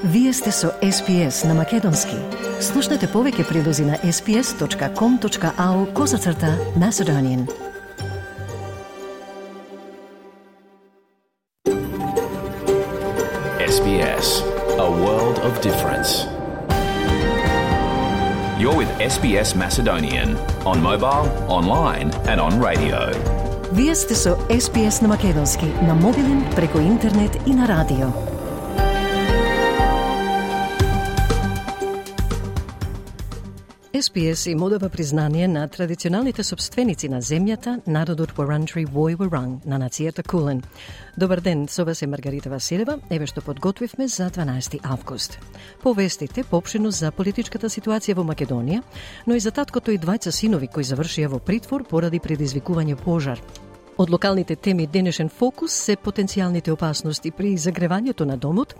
Вие сте со SPS на Македонски. Слушнете повеќе прилози на sps.com.au/Macedonian. SBS, a world of difference. You're with SBS Macedonian on mobile, online and on radio. Вие сте со SPS на Македонски на мобилен, преку интернет и на радио. SPS им одава признание на традиционалните собственици на земјата, народот Wurundjeri Woi Wurrung на нацијата Кулен. Добар ден, со вас е Маргарита Василева, еве што подготвивме за 12 август. Повестите поопшено за политичката ситуација во Македонија, но и за таткото и двајца синови кои завршија во притвор поради предизвикување пожар. Од локалните теми денешен фокус се потенцијалните опасности при загревањето на домот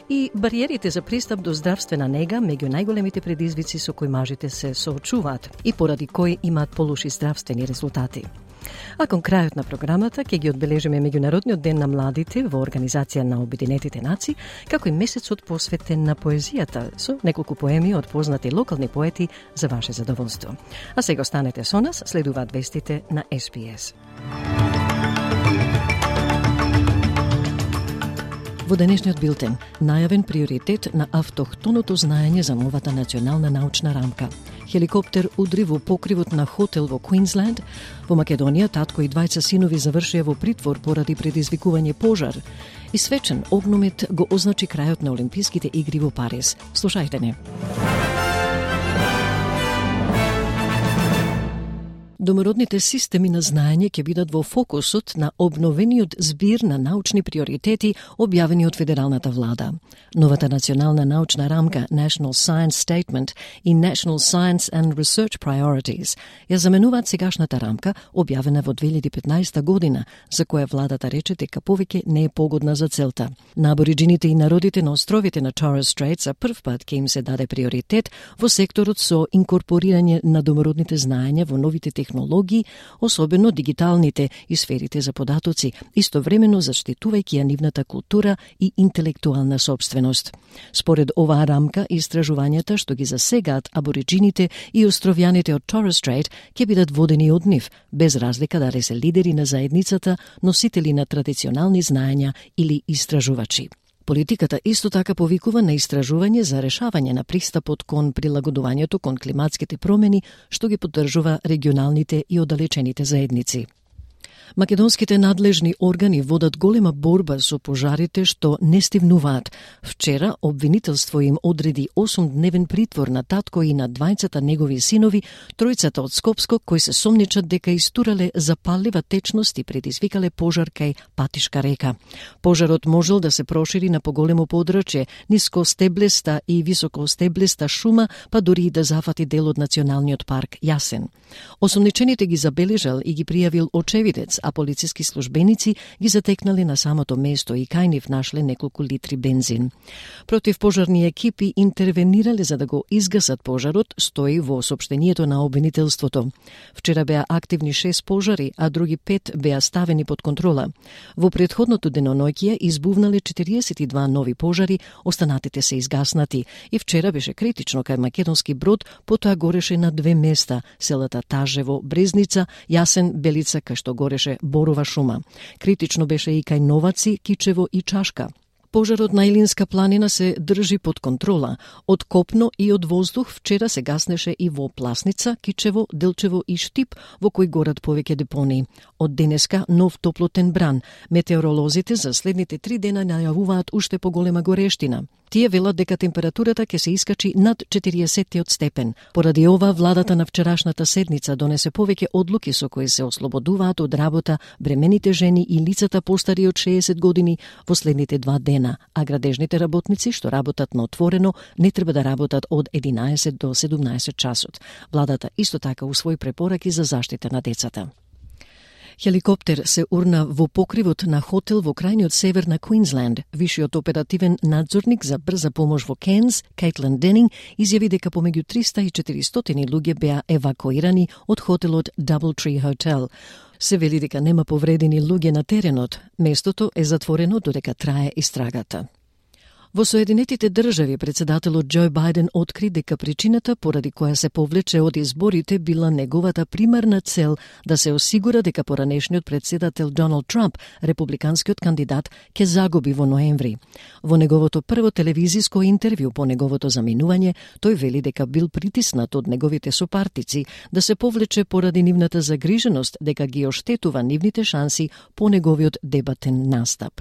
и бариерите за пристап до здравствена нега меѓу најголемите предизвици со кои мажите се соочуваат и поради кои имаат полоши здравствени резултати. А кон крајот на програмата ќе ги одбележиме Меѓународниот ден на младите во Организација на Обединетите нации, како и месецот посветен на поезијата со неколку поеми од познати локални поети за ваше задоволство. А сега останете со нас, следуваат вестите на SPS. Во денешниот билтен, најавен приоритет на автохтоното знаење за новата национална научна рамка. Хеликоптер удри во покривот на хотел во Квинсленд. Во Македонија татко и двајца синови завршија во притвор поради предизвикување пожар. И свечен огномет го означи крајот на Олимписките игри во Париз. Слушајте не. Домородните системи на знаење ќе бидат во фокусот на обновениот збир на научни приоритети објавени од федералната влада. Новата национална научна рамка National Science Statement и National Science and Research Priorities ја заменуваат сегашната рамка објавена во 2015 година, за која владата рече дека повеќе не е погодна за целта. На абориџините и народите на островите на Torres Strait за прв пат ќе им се даде приоритет во секторот со инкорпорирање на домородните знаења во новите технологии, особено дигиталните и сферите за податоци, истовремено заштитувајќи ја нивната култура и интелектуална сопственост. Според оваа рамка, истражувањата што ги засегаат абориџините и островјаните од Torres Strait ќе бидат водени од нив, без разлика дали се лидери на заедницата, носители на традиционални знаења или истражувачи. Политиката исто така повикува на истражување за решавање на пристапот кон прилагодувањето кон климатските промени, што ги поддржува регионалните и оддалечените заедници. Македонските надлежни органи водат голема борба со пожарите што не стивнуваат. Вчера обвинителство им одреди 8-дневен притвор на татко и на двајцата негови синови, тројцата од Скопско, кои се сомничат дека истурале запаллива течност и предизвикале пожар кај Патишка река. Пожарот можел да се прошири на поголемо подрачје, нискостеблеста и високостеблеста шума, па дури и да зафати дел од националниот парк Јасен. Осомничените ги забележал и ги пријавил очевидец, а полициски службеници ги затекнале на самото место и кај нив нашле неколку литри бензин. Противпожарни екипи интервенирале за да го изгасат пожарот, стои во соопштението на обвинителството. Вчера беа активни 6 пожари, а други 5 беа ставени под контрола. Во претходното деноноќие избувнале 42 нови пожари, останатите се изгаснати и вчера беше критично кај македонски брод, потоа гореше на 2 места, селата Тажево, Брезница, Јасен, Белица, кај што гореше борова шума. Критично беше и кај Новаци, Кичево и Чашка. Пожарот на Илинска планина се држи под контрола. Од копно и од воздух вчера се гаснеше и во Пласница, Кичево, Делчево и Штип, во кои горат повеќе депонии. Од денеска нов топлотен бран. Метеоролозите за следните 3 дена најавуваат уште поголема горештина. Тие велат дека температурата ќе се искачи над 40 степен. Поради ова, владата на вчерашната седница донесе повеќе одлуки со кои се ослободуваат од работа бремените жени и лицата постари од 60 години во следните 2 дена, а градежните работници што работат на отворено не треба да работат од 11 до 17 часот. Владата исто така усвои препораки за заштита на децата. Хеликоптер се урна во покривот на хотел во крајниот север на Квинсленд. Вишиот оперативен надзорник за брза помош во Кенс, Кейтлин Денинг, изјави дека помеѓу 300 и 400 луѓе беа евакуирани од хотелот Doubletree Hotel. Се вели дека нема повредени луѓе на теренот. Местото е затворено додека трае истрагата. Во Соединетите држави председателот Џо Бајден откри дека причината поради која се повлече од изборите била неговата примарна цел да се осигура дека поранешниот председател Доналд Трамп, републиканскиот кандидат, ќе загуби во ноември. Во неговото прво телевизиско интервју по неговото заминување, тој вели дека бил притиснат од неговите сопартици да се повлече поради нивната загриженост дека ги оштетува нивните шанси по неговиот дебатен настап.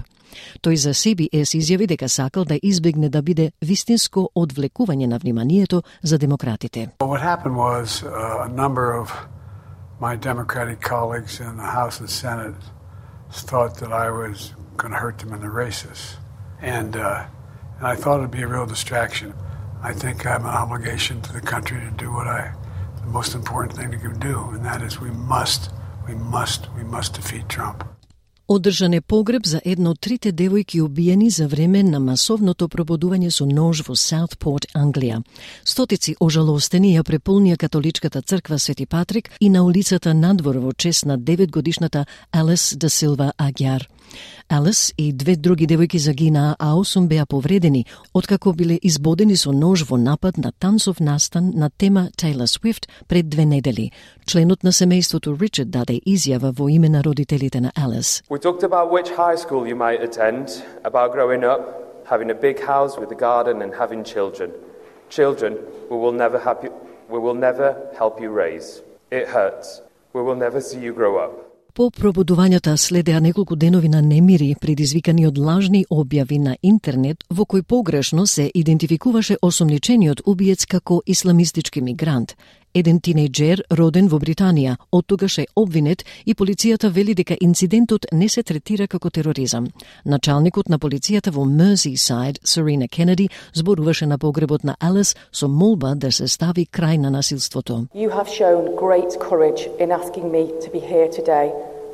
Тој за CBS изјави дека сакал да избегне да биде вистинско одвлекување на вниманието за демократите. What happened was a number of my Democratic colleagues in the House and Senate thought that I was going to hurt them in the races. And I thought it'd be a real distraction. I think I have an obligation to the country to do the most important thing to do, and that is we must defeat Trump. Одржан е погреб за една од трите девојки убиени за време на масовното пробудување со нож во Саутпорт, Англија. Стотици ожалостени ја преполнија католичката црква Свети Патрик и на улицата надвор во чест на 9-годишната Алис да Силва Агјар. Алис и две други девојки загинаа, а 8 беа повредени, откако биле избодени со нож во напад на танцов настан на тема Taylor Swift пред 2 недели. Членот на семејството Ричард даде изјава во име на родителите на Алис. We talked about which high school you might attend, about growing up, having a big house with a garden and having children. Children we will never help you raise. It hurts. We will never see you grow up. По пробудувањата следеа неколку денови на немири, предизвикани од лажни објави на интернет, во кој погрешно се идентификуваше осомничениот убиец како исламистички мигрант. Еден тинејџер роден во Британија, оттогаш е обвинет и полицијата вели дека инцидентот не се третира како тероризам. Началникот на полицијата во Мерсисайд, Серена Кенеди, зборуваше на погребот на Алис со молба да се стави крај на насилството. You have shown great courage in asking me to be here today,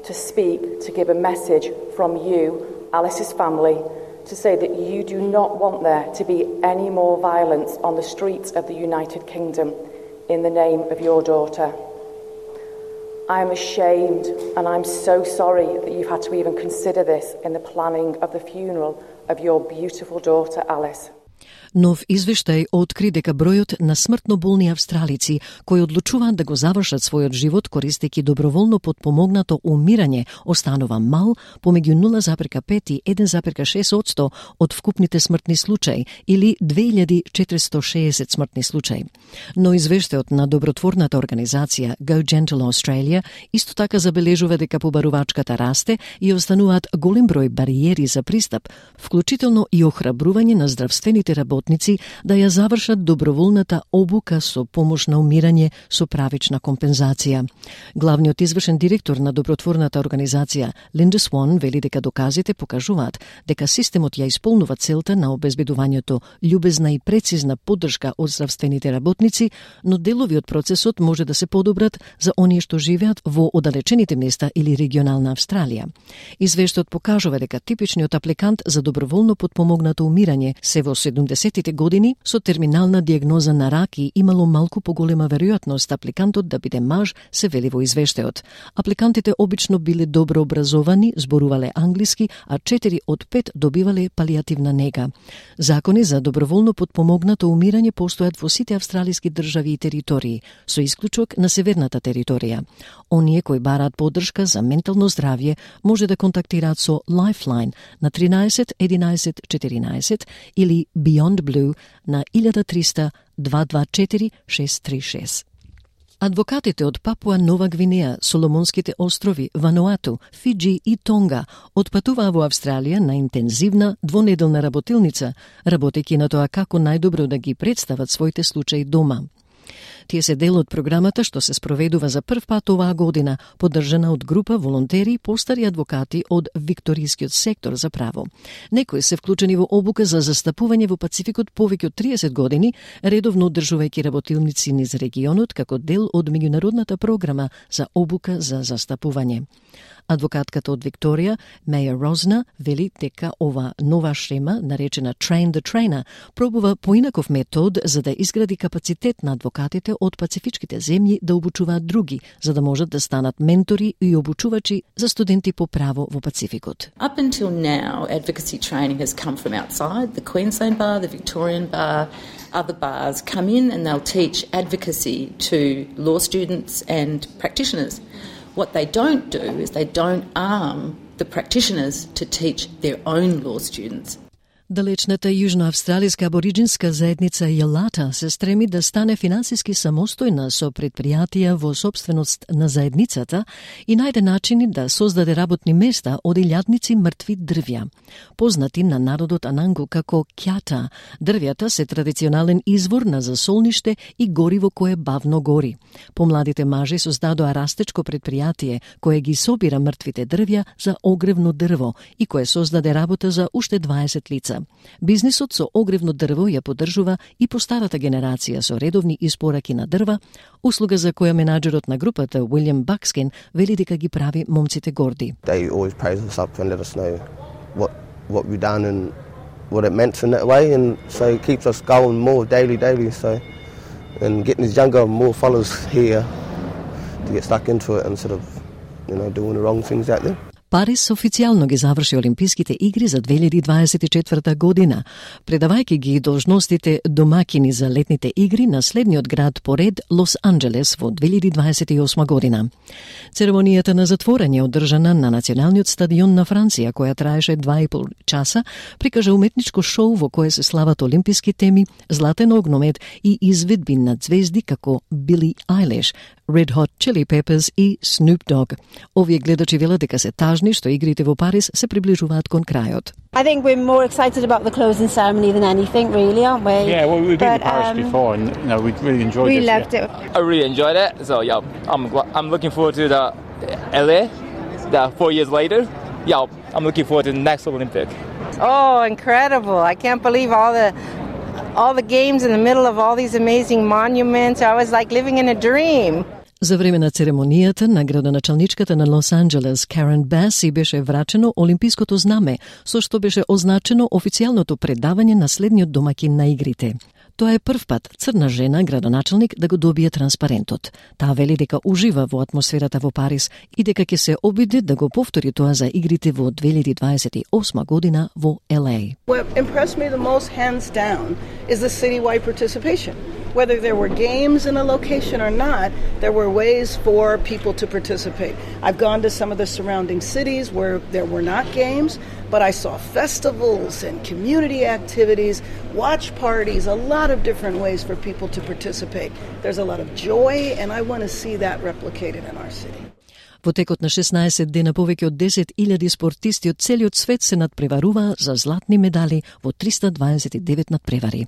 to speak, to give a message from you, Alice's family, to say that you do not want there to be any more violence on the streets of the United Kingdom in the name of your daughter. I am ashamed and I'm so sorry that you've had to even consider this in the planning of the funeral of your beautiful daughter Alice. Нов извештај откри дека бројот на смртно болни австралици кои одлучуваат да го завршат својот живот користејќи доброволно потпомогнато умирање останува мал, помеѓу 0,5 и 1,6% од вкупните смртни случаи или 2460 смртни случаи. Но извештајот на добротворната организација Go Gentle Australia исто така забележува дека побарувачката расте и остануваат голем број бариери за пристап, вклучително и охрабрување на здравствените работници да ја завршат доброволната обука со помош на умирање со правична компензација. Главниот извршен директор на добротворната организација Линда Свон вели дека доказите покажуваат дека системот ја исполнува целта на обезбедувањето љубезна и прецизна поддршка од здравствените работници, но делови од процесот може да се подобрат за оние што живеат во оддалечените места или регионална Австралија. Извештајот покажува дека типичниот апликант за доброволно потпомогнато умирање се во 70-тите години со терминална диагноза на рак и имало малку поголема веројатност апликантот да биде маж, се вели во извештајот. Апликантите обично биле добро образовани, зборувале англиски, а 4 од 5 добивале палијативна нега. Закони за доброволно потпомогнато умирање постојат во сите австралиски држави и територии, со исклучок на северната територија. Оние кои бараат поддршка за ментално здравје може да контактираат со Lifeline на 13 11 14 или Beyond Blue на 1300 224 636. Адвокатите од Папуа Нова Гвинеја, Соломонските острови, Вануату, Фиджи и Тонга отпатуваа во Австралија на интензивна двонеделна работилница, работејќи на тоа како најдобро да ги представат своите случаи дома. Тие се дел од програмата што се спроведува за прв пат оваа година, поддржана од група волонтери и постари адвокати од Викторискиот сектор за право. Некои се вклучени во обука за застапување во Пацификот повеќе од 30 години, редовно одржувајќи работилници низ регионот како дел од меѓународната програма за обука за застапување. Адвокатката од Викторија, Меја Розна, вели дека ова нова шема, наречена Train the Trainer, пробува поинаков метод за да изгради капацитет на адвокатите од пацифичките земји да обучуваат други, за да можат да станат ментори и обучувачи за студенти по право во Пацификот. Up until now, advocacy training has come from outside, the Queensland Bar, the Victorian Bar, other bars come in and they'll teach advocacy to law students and practitioners. What they don't do is they don't arm the practitioners to teach their own law students. Далечната јужноавстралијска абориџинска заедница Јелата се стреми да стане финансиски самостојна со предпријатија во сопственост на заедницата и најде начини да создаде работни места од илјадници мртви дрвја. Познати на народот Анангу како кјата, дрвјата се традиционален извор на засолниште и гориво кое бавно гори. Помладите мажи создадоа растечко предпријатие кое ги собира мртвите дрвја за огревно дрво и кое создаде работа за уште 20 лица. Бизнисот со огревно дрво ја поддржува и по старата генерација со редовни испораки на дрва, услуга за која менаџерот на групата Уилјам Бакскин вели дека ги прави момците горди. They always praise us up and let us know what we've done and what it meant in that way, and so it keeps us going more daily, so and getting these younger, more followers here to get stuck into it instead of, doing the wrong things out there. Парис официјално ги заврши Олимписките игри за 2024 година, предавајќи ги должностите домакини за летните игри на следниот град по ред Лос Анџелес во 2028 година. Церемонијата на затворање одржана на Националниот стадион на Франција, која траеше 2,5 часа, прикажа уметничко шоу во кое се слават олимписки теми, златен огномет и изведби на звезди како Били Айлиш, Red Hot Chili Peppers и Snoop Dogg. Овие гледачи велат дека се тажни што игрите во Париз се приближуваат кон крајот. I think we're more excited about the closing ceremony than anything, really, aren't we? Yeah, well, we've been to Paris before, and we really enjoyed it. We loved it. I really enjoyed it. So yeah, I'm looking forward to the LA, 4 years later. Yeah, I'm looking forward to the next Olympic. Oh, incredible! I can't believe all the games in the middle of all these amazing monuments. I was like living in a dream. За време на церемонијата на градоначалничката на Лос Анџелес Карен Баси беше врачено олимпиското знаме, со што беше означено официјалното предавање на следниот домакин на игрите. Тоа е прв пат црна жена градоначалник да го добие транспарентот. Таа вели дека ужива во атмосферата во Париз и дека ќе се обиде да го повтори тоа за игрите во 2028 година во LA. What impressed me the most, hands down, is the citywide participation. Whether there were games in a location or not, there were ways for people to participate. I've gone to some of the surrounding cities where there were not games, but I saw festivals and community activities, watch parties, a lot of different ways for people to participate. There's a lot of joy, and I want to see that replicated in our city. Во текот на 16 дена повеќе од 10.000 спортисти од целиот свет се надпреваруваа за златни медали во 329 надпревари.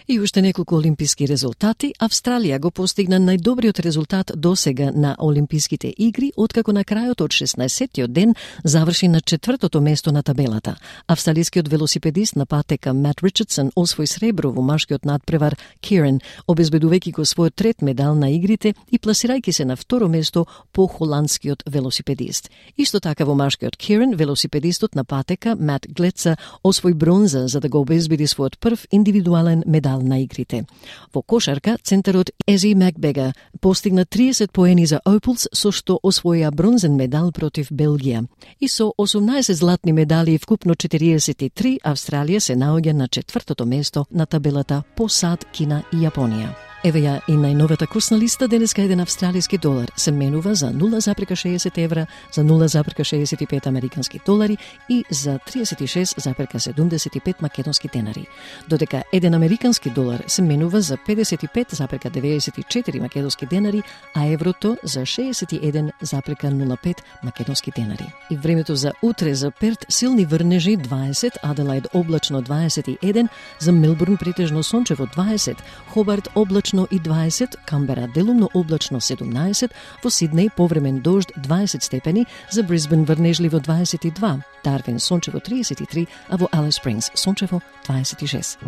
И уште неколку олимписки резултати. Австралија го постигна најдобриот резултат досега на Олимписките игри, откако на крајот од 16-тиот ден заврши на 4-тото место на табелата. Австралискиот велосипедист на патека Мат Ричардсон освои сребро во машкиот надпревар Кирен, обезбедувајќи го својот трет медал на игрите и пласирајќи се на второ место по холандскиот велосипедист. Исто така во машкиот Кирен, велосипедистот на патека Мат Глеца освои бронза за да го обезбеди својот прв индивидуален медал на игрите. Во кошарка, центарот Ези Макбега постигна 30 поени за Опелс, со што освоја бронзен медал против Белгија. И со 18 златни медали и вкупно 43, Австралија се наоѓа на 4-тото место на табелата по САД, Кина и Јапонија. Еве ја и најновата курсна листа. Денеска еден австралиски долар се менува за 0,60 евра, за 0,65 американски долари и за 36,75 македонски денари. Додека еден американски долар се менува за 55,94 македонски денари, а еврото за 61,05 македонски денари. И времето за утре: за Перт силни врнежи 20, Аделаид облачно 21, за Мелбурн претежно сончево 20, Хобарт облачно и 20, Камбера делумно облачно 17, во Сиднеј повремен дожд 20 степени, за Брисбен врнежливо 22, Дарвин сончево 33, а во Алис Спрингс сончево 26.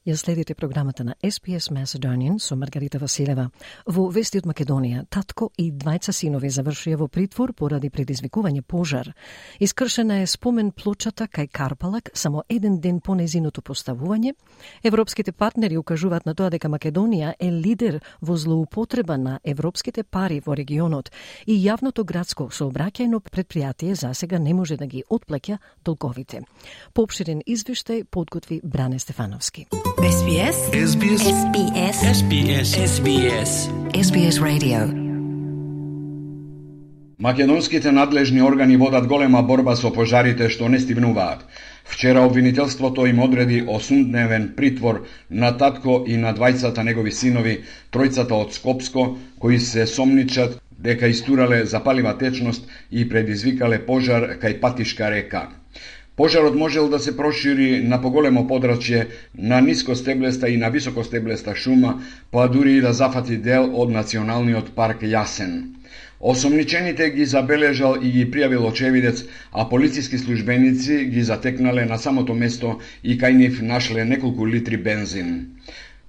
Ја следите програмата на SPS Macedonian со Маргарита Василева. Во вести од Македонија, татко и двајца синови завршија во притвор поради предизвикување пожар. Искршена е спомен плочата кај Карпалак само еден ден по нејзиното поставување. Европските партнери укажуваат на тоа дека Македонија е лидер во злоупотреба на европските пари во регионот и јавното градско сообраќајно предпријатие засега не може да ги отплаќа долговите. Поопширен извештај подготви Бране Стефановски. SBS SBS SBS SBS SBS SBS Radio. Македонските надлежни органи водат голема борба со пожарите што не стивнуваат. Вчера обвинителството им одреди 8-дневен притвор на татко и на двајцата негови синови, тројцата од Скопско, кои се сомничат дека истурале запалива течност и предизвикале пожар кај Патишка река. Пожарот можел да се прошири на поголемо подрачје на нискостеблеста и на високостеблеста шума, па дури и да зафати дел од националниот парк Јасен. Осомничените ги забележал и ги пријавил очевидец, а полициски службеници ги затекнале на самото место и кај нив нашле неколку литри бензин.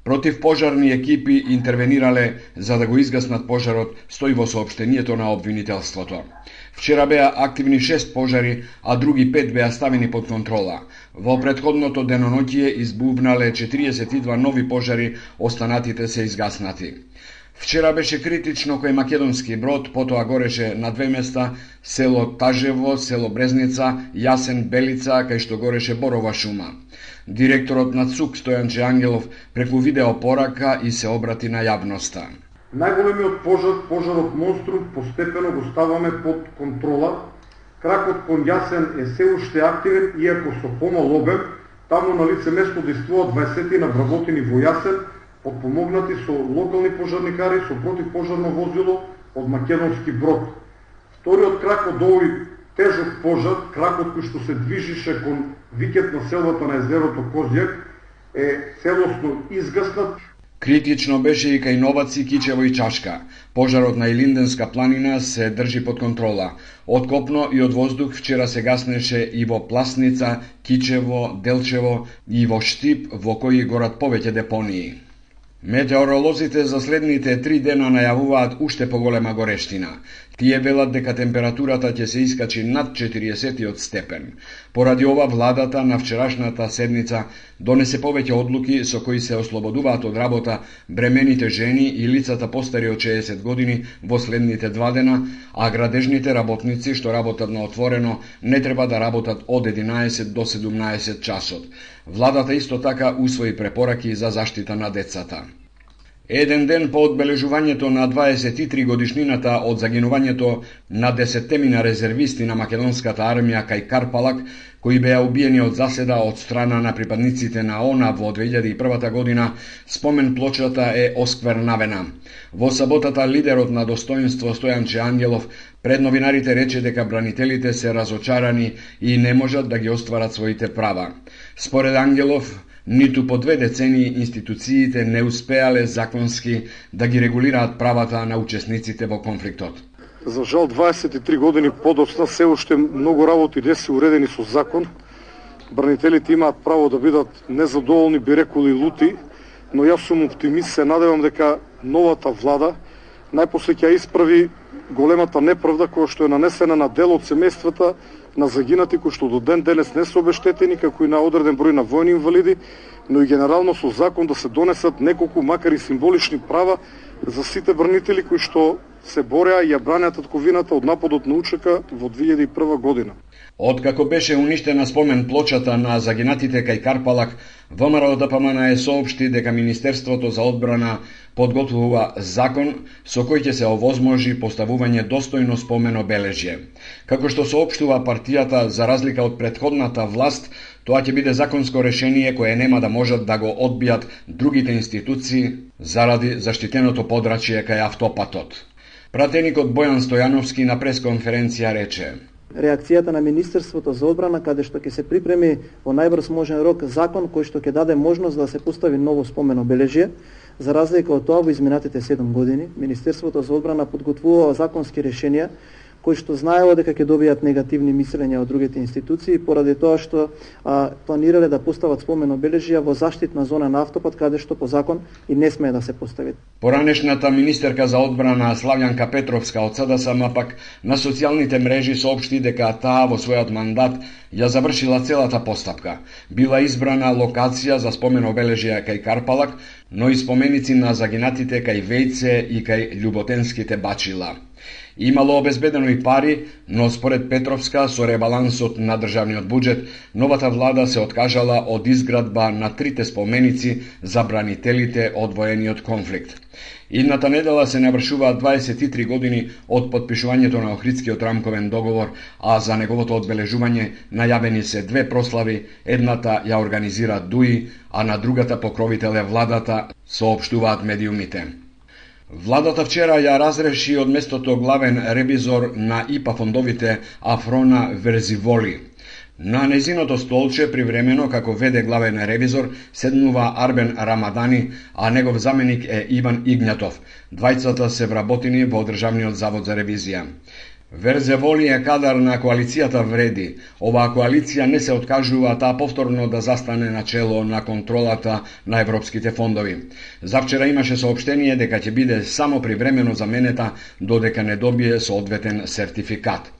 Противпожарни екипи интервенирале за да го изгаснат пожарот, стои во соопштението на обвинителството. Вчера беа активни 6 пожари, а други 5 беа ставени под контрола. Во претходното деноноќие избувнале 42 нови пожари, останатите се изгаснати. Вчера беше критично кој македонски брод, потоа гореше на 2 места, село Тажево, село Брезница, Јасен, Белица, кај што гореше борова шума. Директорот на ЦУК Стојанче Ангелов преку видеопорака и се обрати на јавноста. Најголемиот пожарот Монструм, постепено го ставаме под контрола. Кракот кон Јасен е се уште активен, иако со помал обем. Таму на лице место действуваат 20 на вработени во Јасен, подпомогнати со локални пожарникари со противпожарно возило од македонски брод. Вториот крак од овој тежок пожар, кракот кој што се движише кон викет на селвата на езерото Козјак, е целосно изгаснат. Критично беше и кај Новаци, Кичево и Чашка. Пожарот на Илинденска планина се држи под контрола. Од копно и од воздух вчера се гаснеше и во Пласница, Кичево, Делчево и во Штип, во кои горат повеќе депонии. Метеоролозите за следните 3 дена најавуваат уште поголема горештина. Тие велат дека температурата ќе се искачи над 40 степен. Поради ова владата на вчерашната седница донесе повеќе одлуки со кои се ослободуваат од работа бремените жени и лицата постари од 60 години во следните 2 дена, а градежните работници што работат на отворено не треба да работат од 11 до 17 часот. Владата исто така усвои препораки за заштита на децата. Еден ден по одбележувањето на 23 годишнината од загинувањето на 10 резервисти на македонската армија кај Карпалак, кои беа убиени од заседа од страна на припадниците на ОНА во 2001 година, спомен плочата е осквернавена. Во саботата лидерот на достоинство Стојанче Ангелов пред новинарите рече дека бранителите се разочарани и не можат да ги остварат своите права. Според Ангелов, ниту по 2 децении институциите не успеале законски да ги регулираат правата на учесниците во конфликтот. За жал 23 години подоцна се уште многу работи не се уредени со закон. Бранителите имаат право да бидат незадоволни, би реколи лути, но јас сум оптимист, се надевам дека новата влада најпосле ќе исправи големата неправда која што е нанесена на дел од семејствата на загинати кои што до ден денес не се обештетени, како и на одреден број на војни инвалиди, но и генерално со закон да се донесат неколку, макар и символични права за сите бранители кои што се бореа и ја бранеа татковината од нападот на УЧК во 2001 година. Откако беше уништена спомен плочата на загинатите кај Карпалак, ВМРО ДПМН соопшти дека Министерството за одбрана подготвува закон со кој ќе се овозможи поставување достојно спомен обележје. Како што соопштува партијата, за разлика од претходната власт, тоа ќе биде законско решение кое нема да можат да го одбијат другите институции заради заштитеното подрачје кај автопатот. Пратеникот Бојан Стојановски на пресконференција рече: реакцијата на Министерството за одбрана, каде што ќе се припреми во најбрз можен рок закон кој што ќе даде можност да се постави ново спомен обележје. За разлика од тоа, во изминатите 7 години, Министерството за одбрана подготвува законски решенија кои што знаело дека ќе добијат негативни мислења од другите институции поради тоа што планирале да постават спомен обележја во заштитна зона на автопат каде што по закон и не смее да се постави. Поранешната министерка за одбрана Славјанка Петровска од СДСМ пак на социјалните мрежи соопшти дека таа во својот мандат ја завршила целата постапка. Била избрана локација за спомен обележја кај Карпалак, но и споменици на загинатите кај Вејце и кај Љуботенските бачила. Имало обезбедено и пари, но според Петровска со ребалансот на државниот буџет, новата влада се откажала од изградба на 3 споменици за бранителите од воениот конфликт. Идната недела се навршуваат 23 години од подпишувањето на Охридскиот рамковен договор, а за неговото одбележување најавени се 2 прослави, едната ја организира ДУИ, а на другата покровител е владата, соопштуваат медиумите. Владата вчера ја разреши од местото главен ревизор на ИПА фондовите Афрона Верзиволи. На незиното столче привремено како веде главен ревизор седнува Арбен Рамадани, а негов заменик е Иван Игнатов. Двајцата се вработени во Државниот завод за ревизија. Верзеволи е кадар на коалицијата Вреди. Оваа коалиција не се откажува таа повторно да застане на чело на контролата на европските фондови. Завчера имаше соопштение дека ќе биде само привремено заменета додека не добие соодветен сертификат.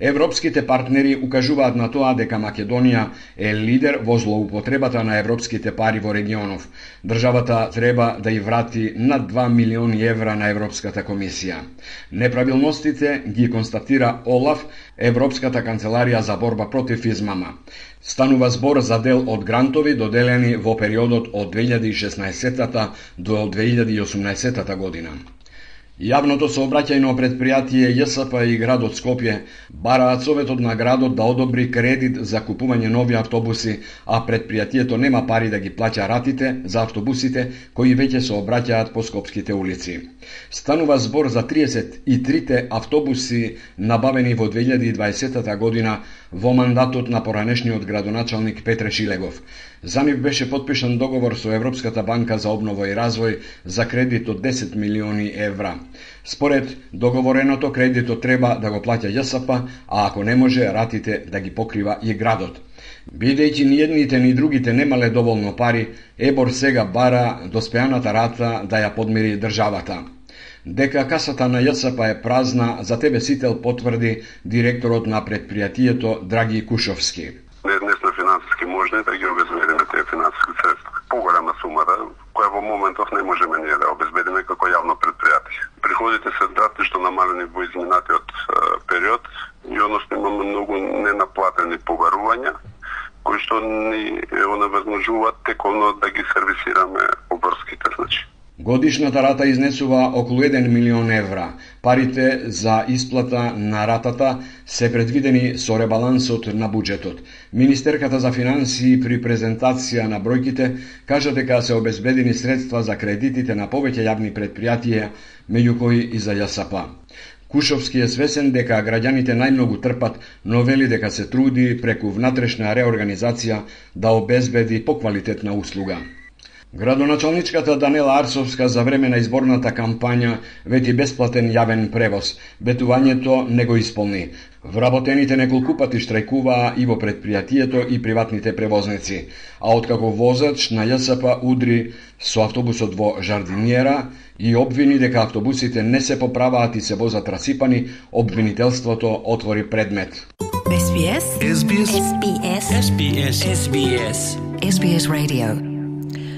Европските партнери укажуваат на тоа дека Македонија е лидер во злоупотребата на европските пари во регионов. Државата треба да ја врати над 2 милиони евра на Европската комисија. Неправилностите ги констатира ОЛАФ, Европската канцеларија за борба против измама. Станува збор за дел од грантови доделени во периодот од 2016 до 2018 година. Јавното сообраќајно предпријатие ЈСП и градот Скопје бараат советот на градот да одобри кредит за купување нови автобуси, а предпријатието нема пари да ги плаќа ратите за автобусите кои веќе сообраќаат по скопските улици. Станува збор за 33 автобуси набавени во 2020 година во мандатот на поранешниот градоначалник Петре Шилегов. За нив беше подпишан договор со Европската банка за обнова и развој за кредит од 10 милиони евра. Според договореното, кредитот треба да го плаќа ЈСП, а ако не може, ратите да ги покрива и градот. Бидејќи ни едните ни другите немале доволно пари, ЕБОР сега бара доспеаната рата да ја подмири државата. Дека касата на ЈСП е празна, за тебе сител потврди директорот на предпријатието Драги Кушовски. Не сме финансиски можни да ги обезбедиме тие финансиски средства. Поголема сумата, која во моментов не можеме ние да обезбедиме како јавно предпријатие. Приходите се драстично намалени во изминатиот период и односно имаме многу ненаплатени побарувања, кои што ни оневозможуваат тековно да ги сервисираме обврските, значи. Годишната рата изнесува околу 1 милион евра. Парите за исплата на ратата се предвидени со ребалансот на буџетот. Министерката за финансии при презентација на бројките кажа дека се обезбедени средства за кредитите на повеќе јавни предпријатија, меѓу кои и за ЈСП. Кушовски е свесен дека граѓаните најмногу трпат, но вели дека се труди преку внатрешна реорганизација да обезбеди поквалитетна услуга. Градоначалничката Данела Арсовска за време на изборната кампања вети бесплатен јавен превоз. Ветувањето не го исполни. Вработените неколку пати штрајкуваа и во предпријатието и приватните превозници, а откако возач на ЈСП удри со автобусот во Жардинјера и обвини дека автобусите не се поправаат и се возат расипани, обвинителството отвори предмет. SBS Radio.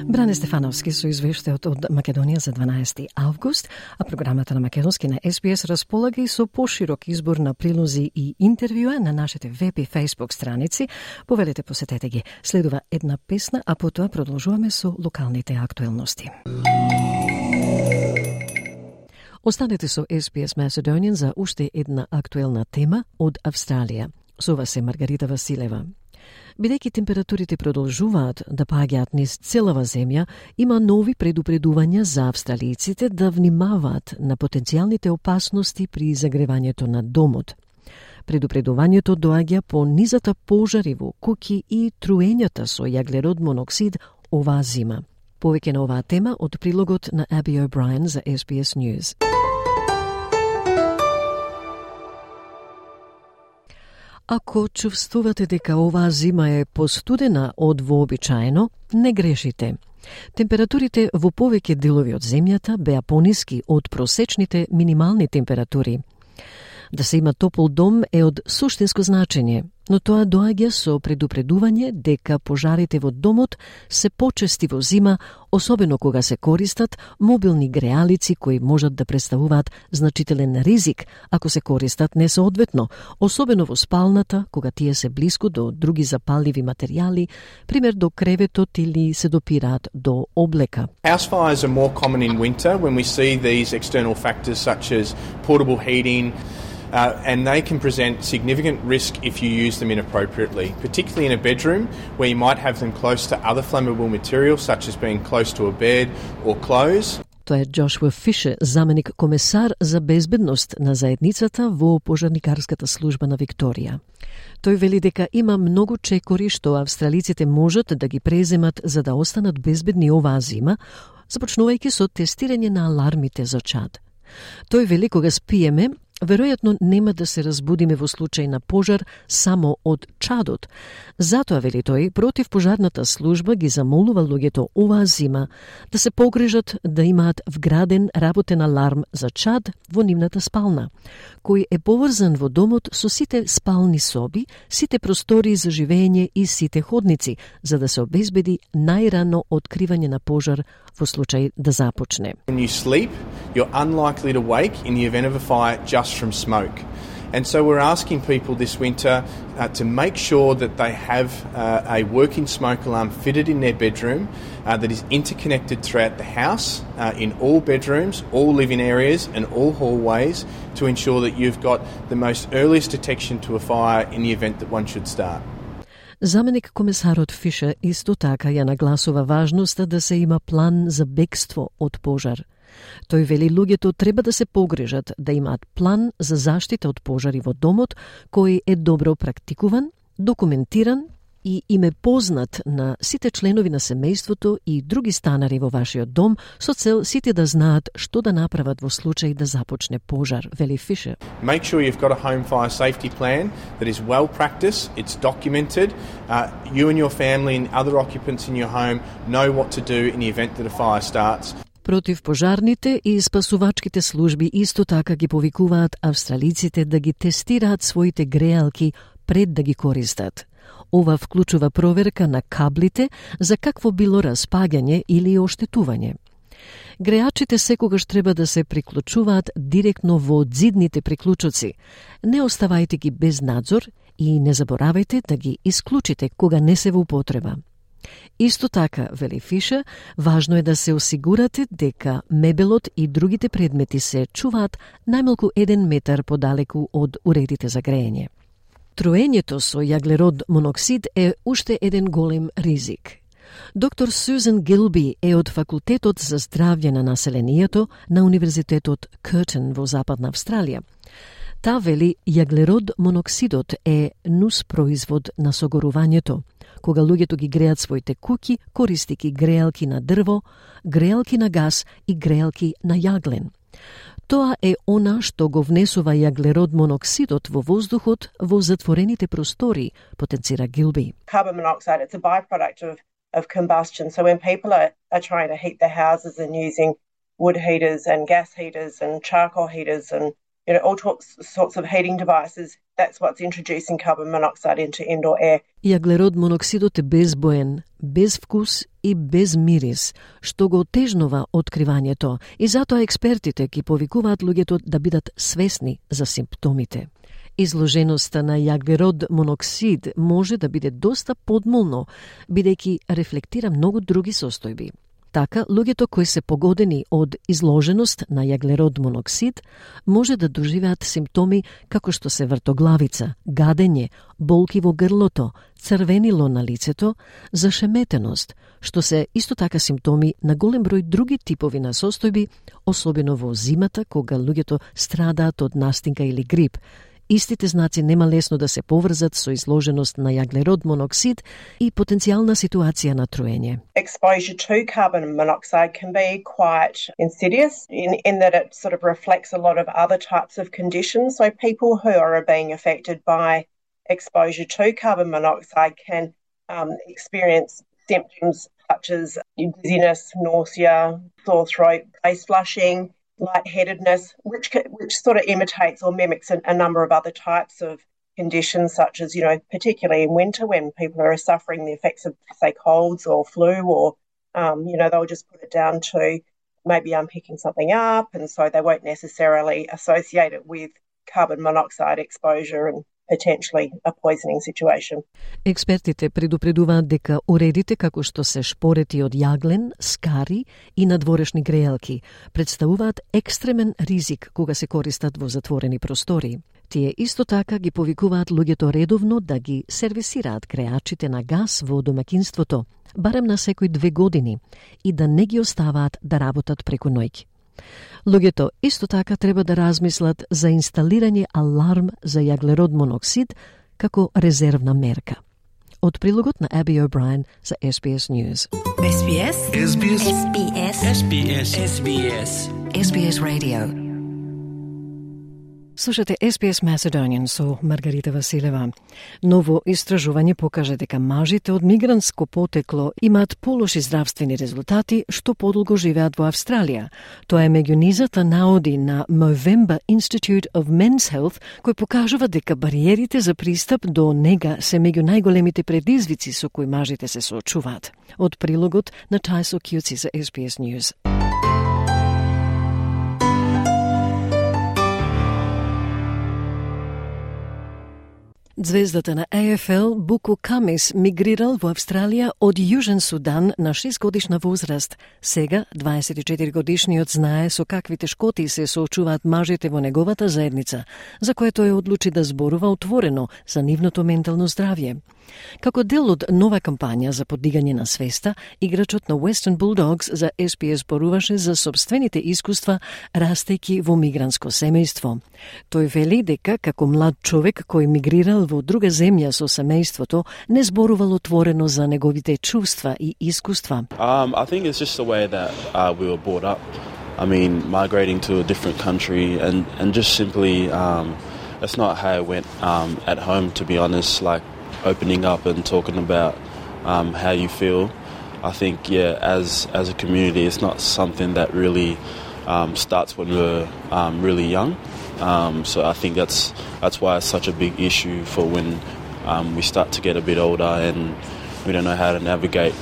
Бране Стефановски со извештајот од Македонија за 12 август, а програмата на Македонски на SBS располага и со поширок избор на прилози и интервјуа на нашите веб и Facebook страници. Повелете, посетете ги. Следува една песна, а потоа продолжуваме со локалните актуелности. Останете со SBS Macedonian за уште една актуелна тема од Австралија. Со вас е Маргарита Василева. Бидејќи температурите продолжуваат да паѓаат низ целава земја, има нови предупредувања за австралијците да внимаваат на потенцијалните опасности при загревањето на домот. Предупредувањето доаѓа по низата пожари во куќи и труењата со јаглерод моноксид оваа зима. Повеќе на оваа тема од прилогот на Аби О'Брајен за SBS News. Ако чувствувате дека оваа зима е постудена од вообичаено, не грешите. Температурите во повеќе делови од земјата беа пониски од просечните минимални температури. Да се има топол дом е од суштинско значење, но тоа доаѓа со предупредување дека пожарите во домот се почести во зима, особено кога се користат мобилни греалици кои можат да представуваат значителен ризик ако се користат несоодветно, особено во спалната кога тие се блиску до други запалливи материјали, пример до креветот или се допираат до облека. House fires are more common in winter when we see these external factors such as portable heating, and they can present significant risk if you use them inappropriately, particularly in a bedroom where you might have them close to other flammable materials such as being close to a bed or clothes. Тоа е Джошуа Фишер, заменик комесар за безбедност на заедницата во пожарникарската служба на Викторија. Тој вели дека има многу чекори што австралиците можат да ги преземат за да останат безбедни оваа зима, започнувајќи со тестирање на алармите за чад. Тој вели кога спиеме, веројатно нема да се разбудиме во случај на пожар само од чадот. Затоа, вели тој, противпожарната служба ги замолува луѓето оваа зима да се погрижат да имаат вграден работен аларм за чад во нивната спална, кој е поврзан во домот со сите спални соби, сите простории за живење и сите ходници, за да се обезбеди најрано откривање на пожар во случај да започне. When you sleep, you're unlikely to wake in the event of a fire just from smoke. And so we're asking people this winter to make sure that they have a working smoke alarm fitted in their bedroom that is interconnected throughout the house, in all bedrooms, all living areas and all hallways to ensure that you've got the most earliest detection to a fire in the event that one should start. Заменик комесарот Фишер исто така ја нагласува важноста да се има план за бегство од пожар. Тој вели луѓето треба да се погрижат да имаат план за заштита од пожари во домот кој е добро практикуван, документиран и им е познат на сите членови на семејството и други станари во вашиот дом со цел сите да знаат што да направат во случај да започне пожар, вели Фишер. Make sure you've got a home fire safety plan that is well practiced, it's documented. You and your family and other occupants in your home know what to do in the event that a fire starts. Противпожарните и спасувачките служби исто така ги повикуваат австралиците да ги тестираат своите греалки пред да ги користат. Ова вклучува проверка на каблите за какво било распагање или оштетување. Греачите секогаш треба да се приклучуваат директно во зидните приклучоци. Не оставајте ги без надзор и не заборавајте да ги исклучите кога не се во употреба. Исто така, вели Фишер, важно е да се осигурате дека мебелот и другите предмети се чуваат најмалку 1 метар подалеку од уредите за грејење. Труењето со јаглерод моноксид е уште еден голем ризик. Доктор Сюзан Гилби е од Факултетот за здравје на населението на Универзитетот Къртен во Западна Австралија. Та вели јаглерод моноксидот е нус производ на согорувањето, кога луѓето ги греат своите куќи користики греалки на дрво, греалки на газ и греалки на јаглен. Тоа е она што го внесува јаглерод моноксидот во воздухот во затворените простори, потенцира Гилби. Carbon monoxide, it's a byproduct of combustion. So when people are trying to heat their houses and using wood heaters and gas heaters and charcoal heaters and all sorts of heating devices, that's what's introducing carbon monoxide into indoor air. Јаглерод моноксидот е безбоен, без вкус и без мирис, што го отежнува откривањето и затоа експертите ги повикуваат луѓето да бидат свесни за симптомите. Изложеноста на јаглерод моноксид може да биде доста подмолно, бидејќи рефлектира многу други состојби. Така, луѓето кои се погодени од изложеност на јаглерод моноксид може да доживеат симптоми како што се вртоглавица, гадење, болки во грлото, црвенило на лицето, зашеметеност, што се исто така симптоми на голем број други типови на состојби, особено во зимата кога луѓето страдаат од настинка или грип. Истите знаци нема лесно да се поврзат со изложеност на јаглерод моноксид и потенцијална ситуација на труење. Exposure to carbon monoxide can be quite insidious in that it sort of reflects a lot of other types of conditions. So people who are being affected by exposure to carbon monoxide can experience symptoms such as dizziness, nausea, sore throat, face flushing, lightheadedness, which sort of imitates or mimics a number of other types of conditions, such as, particularly in winter when people are suffering the effects of, say, colds or flu, or, they'll just put it down to maybe I'm picking something up, and so they won't necessarily associate it with carbon monoxide exposure and potentially a poisoning situation. Експертите предупредуваат дека уредите како што се шпорети од јаглен, скари и надворешни грејалки представуваат екстремен ризик кога се користат во затворени простори. Тие исто така ги повикуваат луѓето редовно да ги сервисираат греачите на газ во домаќинството, барем на секој 2 години, и да не ги оставаат да работат преку ноќ. Луѓето исто така треба да размислат за инсталирање аларм за јаглерод моноксид како резервна мерка. Од прилогот на Аби О'Брајен за SBS News. SBS SBS SBS SBS SBS SBS Radio. Слушате SBS Macedonian со Маргарита Василева. Ново истражување покажа дека мажите од мигрантско потекло имаат полоши здравствени резултати што подолго живеат во Австралија. Тоа е меѓу низата наоди на Movember Institute of Men's Health, кој покажува дека бариерите за пристап до нега се меѓу најголемите предизвици со кои мажите се соочуваат. Од прилогот на Тајсо Кјуци за SBS News. Звездата на AFL Буку Камис мигрирал во Австралија од Јужен Судан на 6-годишна возраст. Сега 24-годишниот знае со какви тешкоти се соочуваат мажите во неговата заедница, за кое тој одлучи да зборува отворено за нивното ментално здравје. Како дел од нова кампања за подигање на свеста, играчот на Western Bulldogs за SPS зборуваше за собствените искуства растејќи во мигрантско семејство. Тој вели дека како млад човек кој мигрирал во друга земја со семејството, не зборувал отворено за неговите чувства и искуства. I think it's just the way that we were brought up. I mean, migrating to a different country and just simply that's not how it went at home, to be honest, like opening up and talking about how you feel. I think, as a community, it's not something that really starts when we're really young. So I think that's why it's such a big issue for when we start to get a bit older and we don't know how to navigate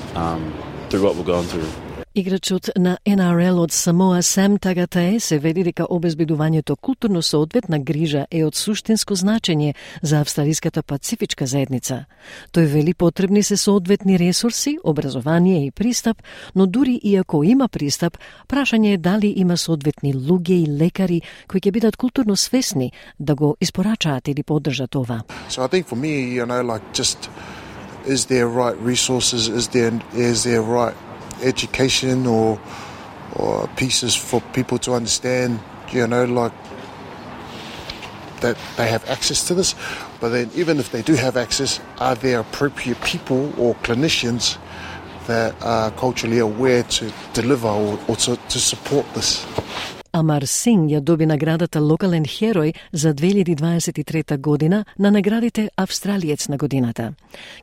through what we're going through. Играчот на NRL од Самоа Сам Тагатаe се вели дека обезбедувањето културно соодветна грижа е од суштинско значење за австралиската пацифичка заедница. Тој вели потребни се соодветни ресурси, образование и пристап, но дури и ако има пристап, прашање е дали има соодветни луѓе и лекари кои ќе бидат културно свесни да го испорачаат или поддржат ова. So I think for me, just is there right resources, is there right education or pieces for people to understand, that they have access to this. But then even if they do have access, are there appropriate people or clinicians that are culturally aware to deliver or to support this? Амар Синг ја доби наградата Локален херој за 2023 година на наградите Австралиец на годината.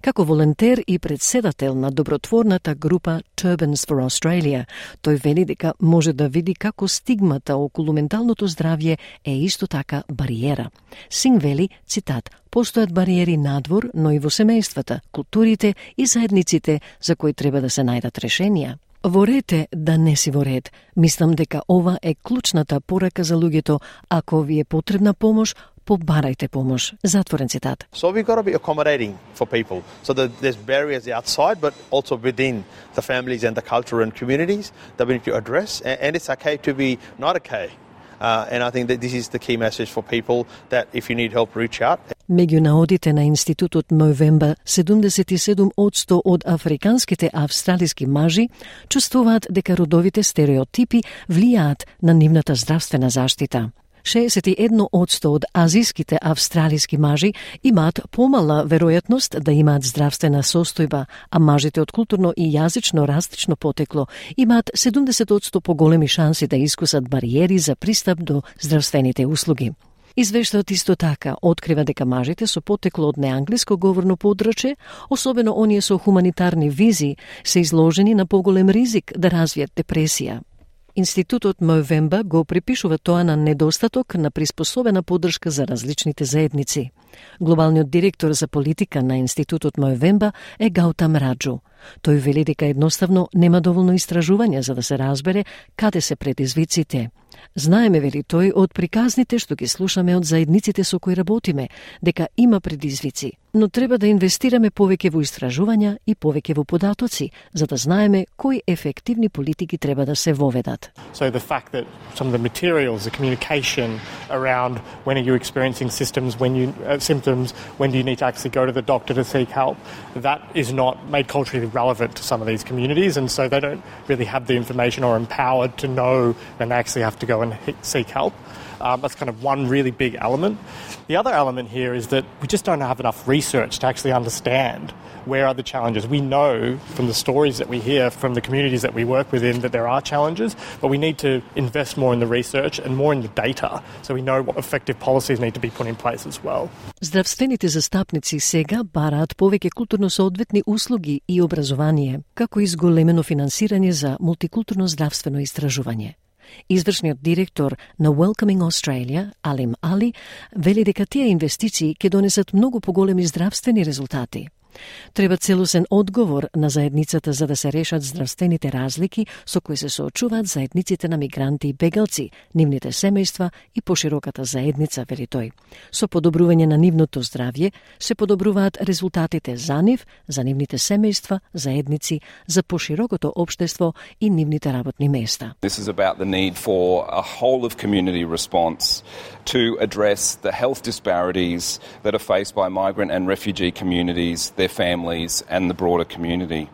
Како волонтер и председател на добротворната група Turbans for Australia, тој вели дека може да види како стигмата околу менталното здравје е исто така бариера. Синг вели, цитат, постојат бариери надвор, но и во семејствата, културите и заедниците за кои треба да се најдат решенија. Во ред е да не си во ред. Мислам дека ова е клучната порака за луѓето. Ако ви е потребна помош, побарајте помош. Затворен цитат. So we've got to be accommodating for people. So that there's barriers outside, but also within the families and the culture and communities that we need to address. And it's okay to be not okay. And I think that this is the key message for people, that if you need help, reach out. Меѓу наодите на институтот Movember, 77% од африканските австралиски мажи чувствуваат дека родовите стереотипи влијаат на нивната здравствена заштита. 61% од азиските австралиски мажи имаат помала веројатност да имаат здравствена состојба, а мажите од културно и јазично различно потекло имаат 70% поголеми шанси да искусат бариери за пристап до здравствените услуги. Извештајот исто така открива дека мажите со потекло од неанглиско говорно подрачје, особено оние со хуманитарни визи, се изложени на поголем ризик да развијат депресија. Институтот Movember го припишува тоа на недостаток на приспособена поддршка за различните заедници. Глобалниот директор за политика на Институтот Movember е Гаутам Раджу. Тој вели дека едноставно нема доволно истражување за да се разбере каде се предизвиците. Знаеме, вели тој, од приказните што ги слушаме од заедниците со кои работиме, дека има предизвици, но треба да инвестираме повеќе во истражувања и повеќе во податоци, за да знаеме кои ефективни политики треба да се воведат. So the fact that some of the materials, the communication around when are you experiencing symptoms, when do you need to actually go to the doctor to seek help, that is not made culturally relevant to some of these communities, and so they don't really have the information or empowered to know when they actually have to go and seek help. That's kind of one really big element. The other element here is that we just don't have enough research to actually understand where are the challenges. We know from the stories that we hear from the communities that we work within that there are challenges, but we need to invest more in the research and more in the data so we know what effective policies need to be put in place as well. Здравствените застапници сега бараат повеќе културно соодветни услуги и образование, како и зголемено финансирање за мултикултурно здравствено истражување. Извршниот директор на Welcoming Australia, Алим Али, вели дека тие инвестиции ќе донесат многу поголеми здравствени резултати. Треба целосен одговор на заедницата за да се решат здравствените разлики со кои се соочуваат заедниците на мигранти и бегалци, нивните семејства и пошироката заедница, вели тој. Со подобрување на нивното здравје се подобруваат резултатите за нив, за нивните семејства, заедници, за поширокото општество и нивните работни места. This is about the need for a whole of community response to address the health disparities that are faced by migrant and refugee communities, their families and the broader community.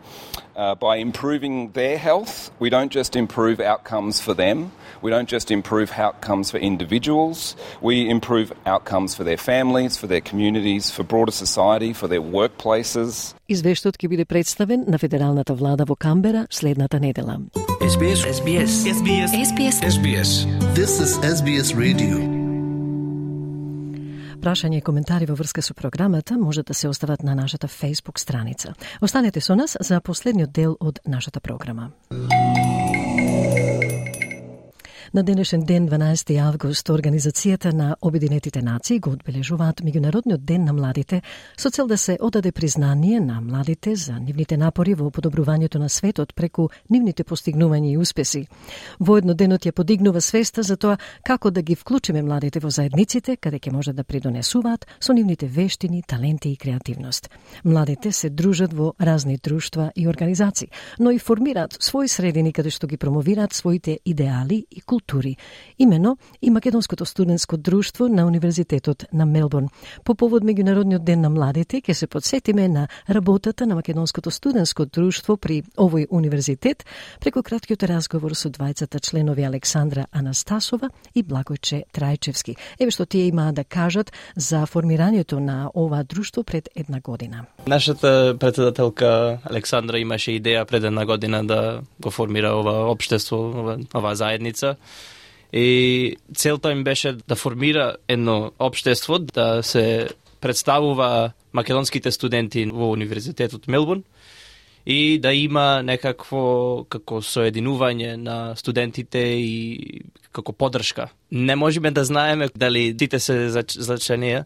By improving their health, we don't just improve outcomes for them, we don't just improve outcomes for individuals, we improve outcomes for their families, for their communities, for broader society, for their workplaces. Извештајот ќе биде представен на федералната влада во Камбера следната недела. SBS. This is SBS Radio. Прашања и коментари во врска со програмата може да се остават на нашата Facebook страница. Останете со нас за последниот дел од нашата програма. На денешен ден, 12 август, Организацијата на Обединетите нации го одбележуваат Меѓународниот ден на младите со цел да се одаде признание на младите за нивните напори во подобрувањето на светот преку нивните постигнувања и успеси. Воедно денот ја подигнува свеста за тоа како да ги вклучиме младите во заедниците каде ќе можат да придонесуваат со нивните вештини, таленти и креативност. Младите се дружат во разни друштва и организации, но и формираат своји средини каде што ги промовираат своите идеали и култури. Имено и Македонското студентско друштво на Универзитетот на Мелбурн. По повод Меѓународниот ден на младите ќе се подсетиме на работата на Македонското студентско друштво при овој универзитет преку краткиот разговор со двајцата членови Александра Анастасова и Благојче Трајчевски. Еве што тие имаат да кажат за формирањето на ова друштво пред една година. Нашата председателка Александра имаше идеја пред една година да го формира ова општество, ова заедница. И целта им беше да формира едно општество, да се представува македонските студенти во Универзитетот Мелбурн и да има некакво како соединување на студентите и како поддршка. Не можеме да знаеме дали сите се зачленија,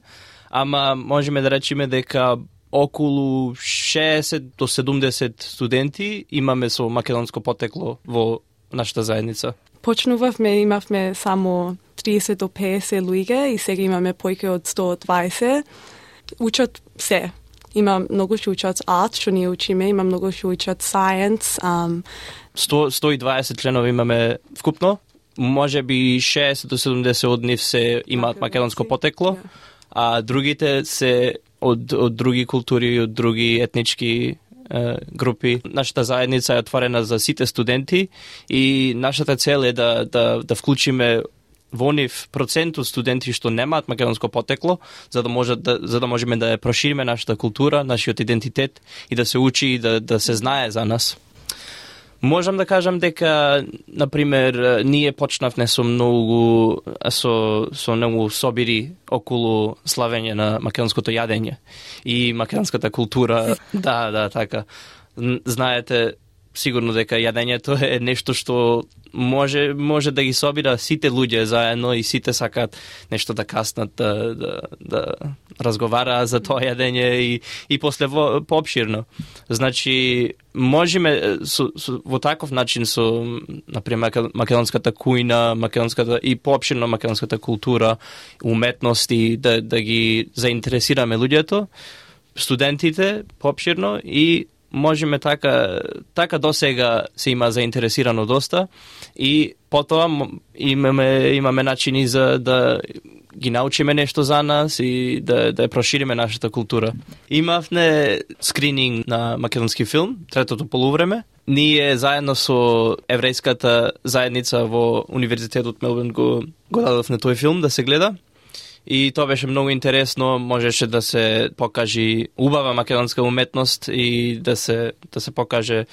ама можеме да речеме дека околу 60 до 70 студенти имаме со македонско потекло во нашата заедница. Почнувавме, имавме само 30 до 50 луѓе и сега имаме појќе од 120. Учат се. Има многу што учат арт, што ние учиме, има многу што учат science. 120 членови имаме вкупно. Може би 60 до 70 од нив се имаат македонско потекло, а другите се од други култури, од други етнички групи. Нашата заедница е отворена за сите студенти и нашата цел е да вклучиме во нив процент од студенти што немаат македонско потекло, за да можеме да ја прошириме нашата култура, нашиот идентитет и да се учи и да се знае за нас. Можам да кажам дека, например, ние почнавме со многу собири околу славење на македонското јадење и македонската култура. Да, така. Знаете сигурно дека јадењето е нешто што може да ги собира сите луѓе заедно и сите сакаат нешто да каснат, да разговараат за тоа јадење и после поопширно. Значи, можеме во таков начин со, например, македонската кујна, македонската и поопширно македонската култура, уметности, да ги заинтересираме луѓето, студентите поопширно и можеме така досега се има заинтересирано доста и потоа имаме начини за да ги научиме нешто за нас и да ја прошириме нашата култура. Имавме скрининг на македонски филм, третото полувреме. Ние заедно со еврејската заедница во Универзитетот Мелбурн го дадовме тој филм да се гледа. И тоа беше многу интересно, можеше да се покажи убава македонска уметност и да се покаже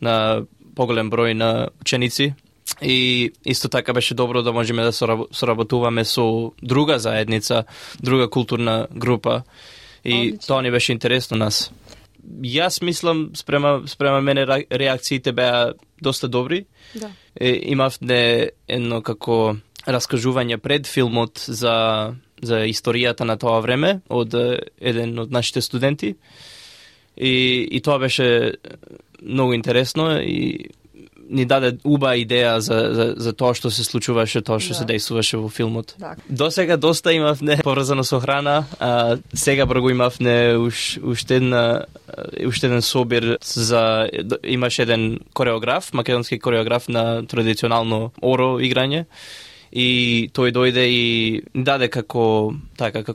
на поголем број на ученици. И исто така беше добро да можеме да соработуваме со друга заедница, друга културна група. И тоа ни беше интересно нас. Јас мислам, спрема мене реакциите беа доста добри. Да. Имавме едно како раскажување пред филмот за историјата на тоа време од еден од нашите студенти и тоа беше многу интересно и ни даде убава идеја за тоа што се случуваше, тоа што се дејствуваше во филмот. Досега доста имавме поврзано со храна, а сега го имавме уште еден собир имаше еден кореограф, македонски кореограф на традиционално оро играње. И тој дојде и даде како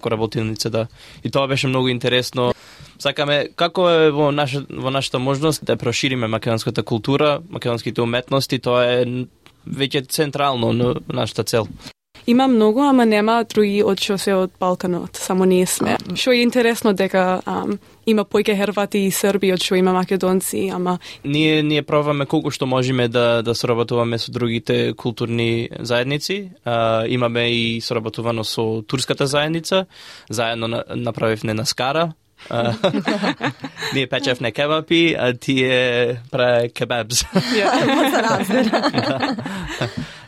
работилница, да. И тоа беше многу интересно. Сакаме, како е во нашата можност да прошириме македонската култура, македонските уметности, тоа е веќе централно на нашата цел. Има многу, ама нема други од што се од Балканот, само ние сме. Што е интересно дека има појќе Хервати и Срби од што има македонци, ама ние пробаме колку што можеме да соработуваме со другите културни заедници. Имаме и соработувано со турската заедница, заедно направивме на Скара. Ние печевме кебапи, а тие праве кебабс.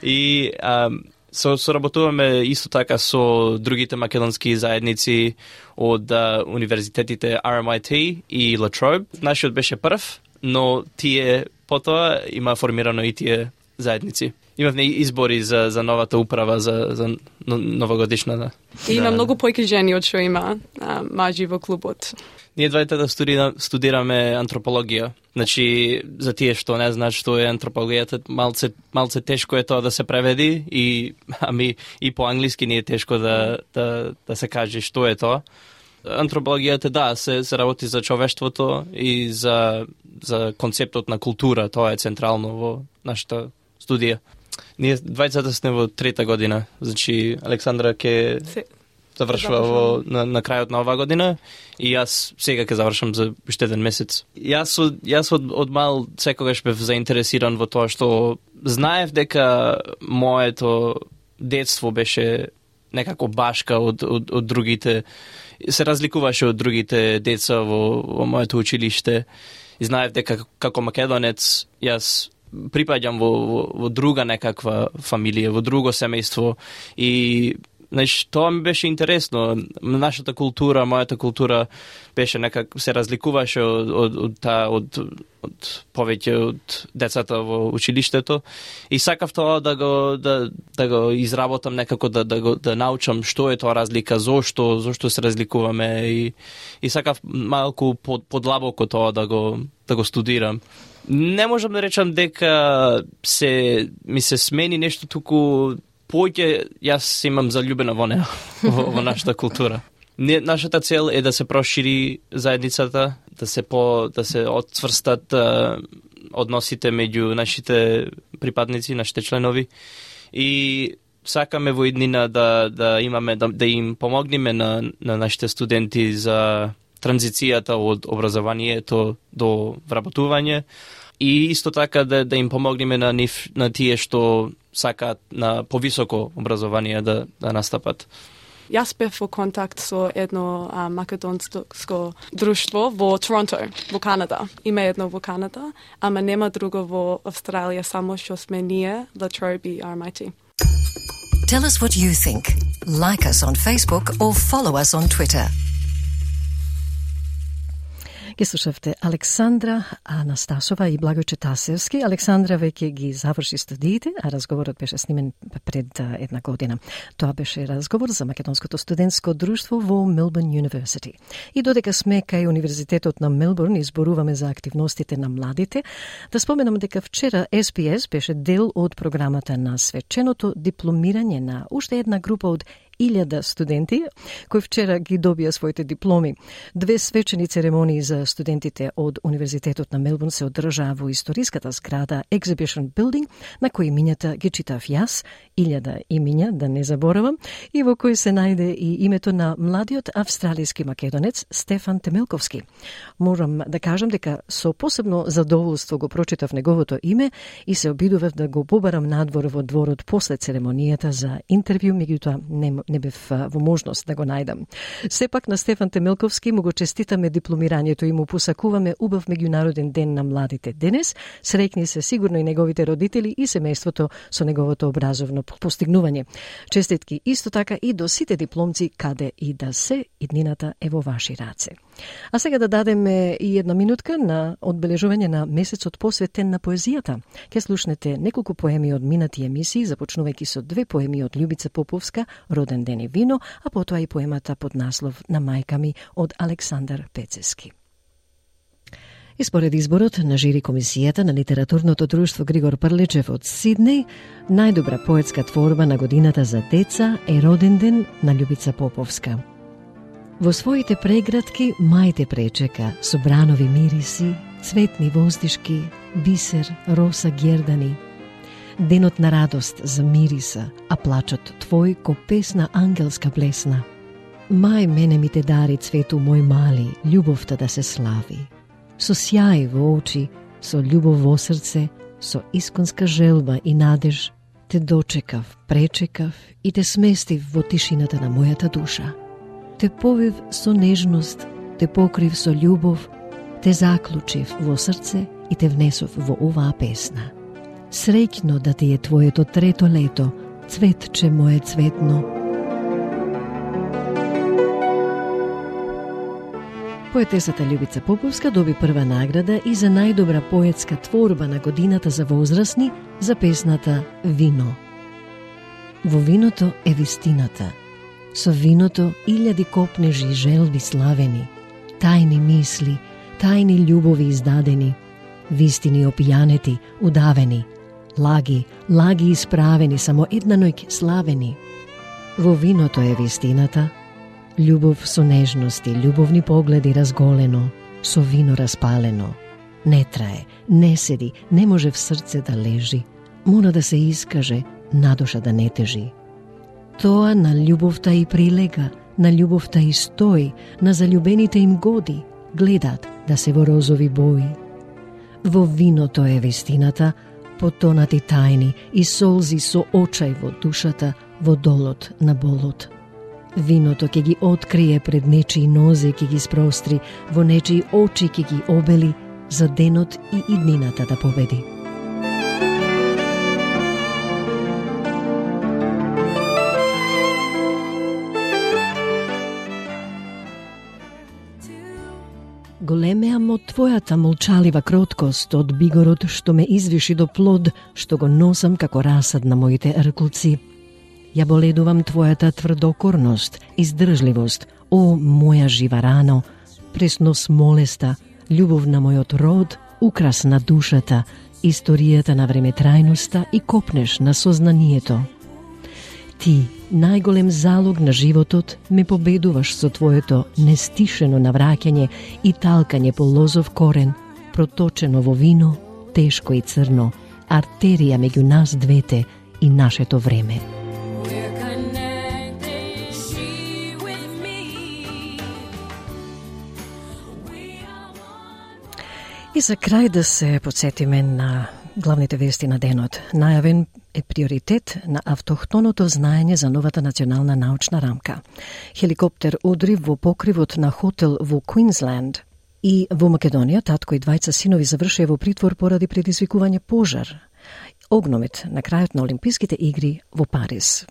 И соработуваме исто така со другите македонски заедници од универзитетите RMIT и La Trobe. Нашиот беше прв, но тие потоа има формирано и тие заедници. Имавме избори за новата управа за новогодишната. И има многу појки жени од што има мажи во клубот. Ние двајте студираме антропологија. Значи, за тие што не знаат што е антропологијата, малце тешко е тоа да се преведи и по англиски не е тешко да се каже што е тоа. Антропологијата, се работи за човештвото и за концептот на култура, тоа е централно во нашата студија. Ние двајцата сме во трета година, значи Александра ќе завршува на крајот на оваа година и јас сега ќе завршам за уште еден месец. Јас од мал секогаш бев заинтересиран во тоа што знаев дека моето детство беше некако башка од другите, се разликуваше од другите деца во моето училиште и знаев дека како македонец јас припаѓам во друга некаква фамилија, во друго семејство и тоа ми беше интересно. Нашата култура, мојата култура беше се разликуваше од повеќе од децата во училиштето и сакав тоа да го изработам некако, да научам што е тоа разлика, зошто се разликуваме и сакав малку подлабоко тоа да го студирам. Не можам да речам дека ми се смени нешто, туку поќе јас имам заљубена во неа, во нашата култура. Нашата цел е да се прошири заедницата, да се отцврстат односите меѓу нашите припадници, нашите членови и сакаме во иднина да им помогнеме на нашите студенти за транзицијата од образованието до вработување, И исто така да им помогнеме на тие што сакаат на повисоко образование да настапат. Јас бев во контакт со едно македонско друштво во Торонто, во Канада. Има едно во Канада, ама нема друго во Австралија, само што сме ние, Latrobe RMIT. Tell us what you think. Like us on Facebook or follow us on Twitter. Ги слушавте Александра Анастасова и Благојче Тасевски. Александра веќе ги заврши студиите, а разговорот беше снимен пред една година. Тоа беше разговор за Македонското студентско друштво во Мелбурн University. И додека сме кај Универзитетот на Мелбурн и зборуваме за активностите на младите, да споменам дека вчера SPS беше дел од програмата на свеченото дипломирање на уште една група од 1000 студенти кои вчера ги добија своите дипломи. 2 свечени церемонии за студентите од Универзитетот на Мелбурн се одржаа во историската зграда Exhibition Building, на кои имињата ги читав јас, 1000 имиња, да не заборавам, и во кој се најде и името на младиот австралиски македонец Стефан Темелковски. Морам да кажам дека со посебно задоволство го прочитав неговото име и се обидував да го побарам надвор во дворот после церемонијата за интервју, меѓутоа не бев во можност да го најдам. Сепак на Стефан Темелковски му го честитаме дипломирањето и му посакуваме убав меѓународен ден на младите денес. Среќни се сигурно и неговите родители и семејството со неговото образовно постигнување. Честитки исто така и до сите дипломци каде и да се, иднината е во ваши раце. А сега да дадеме и една минутка на одбележување на месецот посветен на поезијата. Ке слушнете неколку поеми од минати емисии, започнувајќи со 2 поеми од Љубица Поповска, Роден ден и вино, а потоа и поемата под наслов На мајка ми од Александар Пецески. И според изборот на жири комисијата на литературното друштво Григор Прлечев од Сиднеј, најдобра поетска творба на годината за деца е Роден ден на Љубица Поповска. Во своите преградки мајте пречека со бранови мириси, цветни воздишки, бисер, роса гердани. Денот на радост за мириса, а плачот твој ко песна ангелска блесна. Мај мене ми те дари цвету мој мали, љубовта да се слави. Со сјај во очи, со љубов во срце, со исконска желба и надеж, те дочекав, пречекав и те сместив во тишината на мојата душа. Те повив со нежност, те покрив со љубов, те заклучив во срце и те внесов во оваа песна. Среќно да ти е твоето трето лето, цветче мое цветно. Поетесата Љубица Поповска доби прва награда и за најдобра поетска творба на годината за возрастни за песната Вино. Во виното е вистината. Со виното илјади копнежи желби славени, тајни мисли, тајни љубови издадени, вистини опијанети, удавени, лаги исправени, само една ноќ славени. Во виното е вистината, љубов со нежности, љубовни погледи разголено, со вино распалено. Не трае, не седи, не може в срце да лежи, мора да се искаже, надуша да не тежи. Тоа на љубовта и прилега, на љубовта и стои, на заљубените им годи, гледат да се во розови бои. Во виното е вистината, потонати тајни и солзи со очај во душата, во долот на болот. Виното ќе ги открие пред нечии нозе, ќе ги спростри, во нечии очи ќе ги обели, за денот и иднината да победи. Големеа мо твојата молчалива кроткост од бигорот што ме извиши до плод, што го носам како расад на моите рклци. Ја боледувам твојата тврдокорност, издржливост, о моја жива рано, пресно смолеста, љубов на мојот род, украс на душата, историјата на времетрајноста и копнеш на сознанието. Ти, најголем залог на животот, ме победуваш со твоето нестишено навраќање и талкање по лозов корен, проточено во вино, тешко и црно, артерија меѓу нас двете и нашето време. И за крај да се подсетиме на главните вести на денот. Најавен е приоритет на автохтоното знаење за новата национална научна рамка. Хеликоптер удри во покривот на хотел во Квинсленд. И во Македонија татко и двајца синови завршија во притвор поради предизвикување пожар. Огномет на крајот на Олимписките игри во Париз.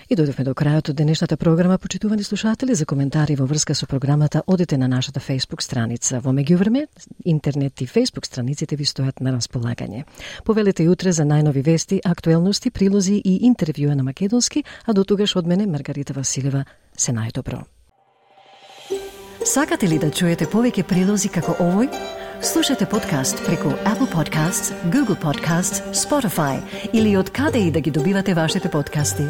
И дојдовме до крајот од денешната програма, почитувани слушатели. За коментари во врска со програмата одете на нашата Facebook страница. Во меѓувреме, интернет и Facebook страниците ви стојат на располагање. Повелете и утре за најнови вести, актуелности, прилози и интервјуа на македонски, а до тогаш од мене Маргарита Василева, се најдобро. Сакате ли да чуете повеќе прилози како овој? Слушате подкаст преку Apple Podcasts, Google Podcasts, Spotify или од каде и да ги добивате вашите подкасти.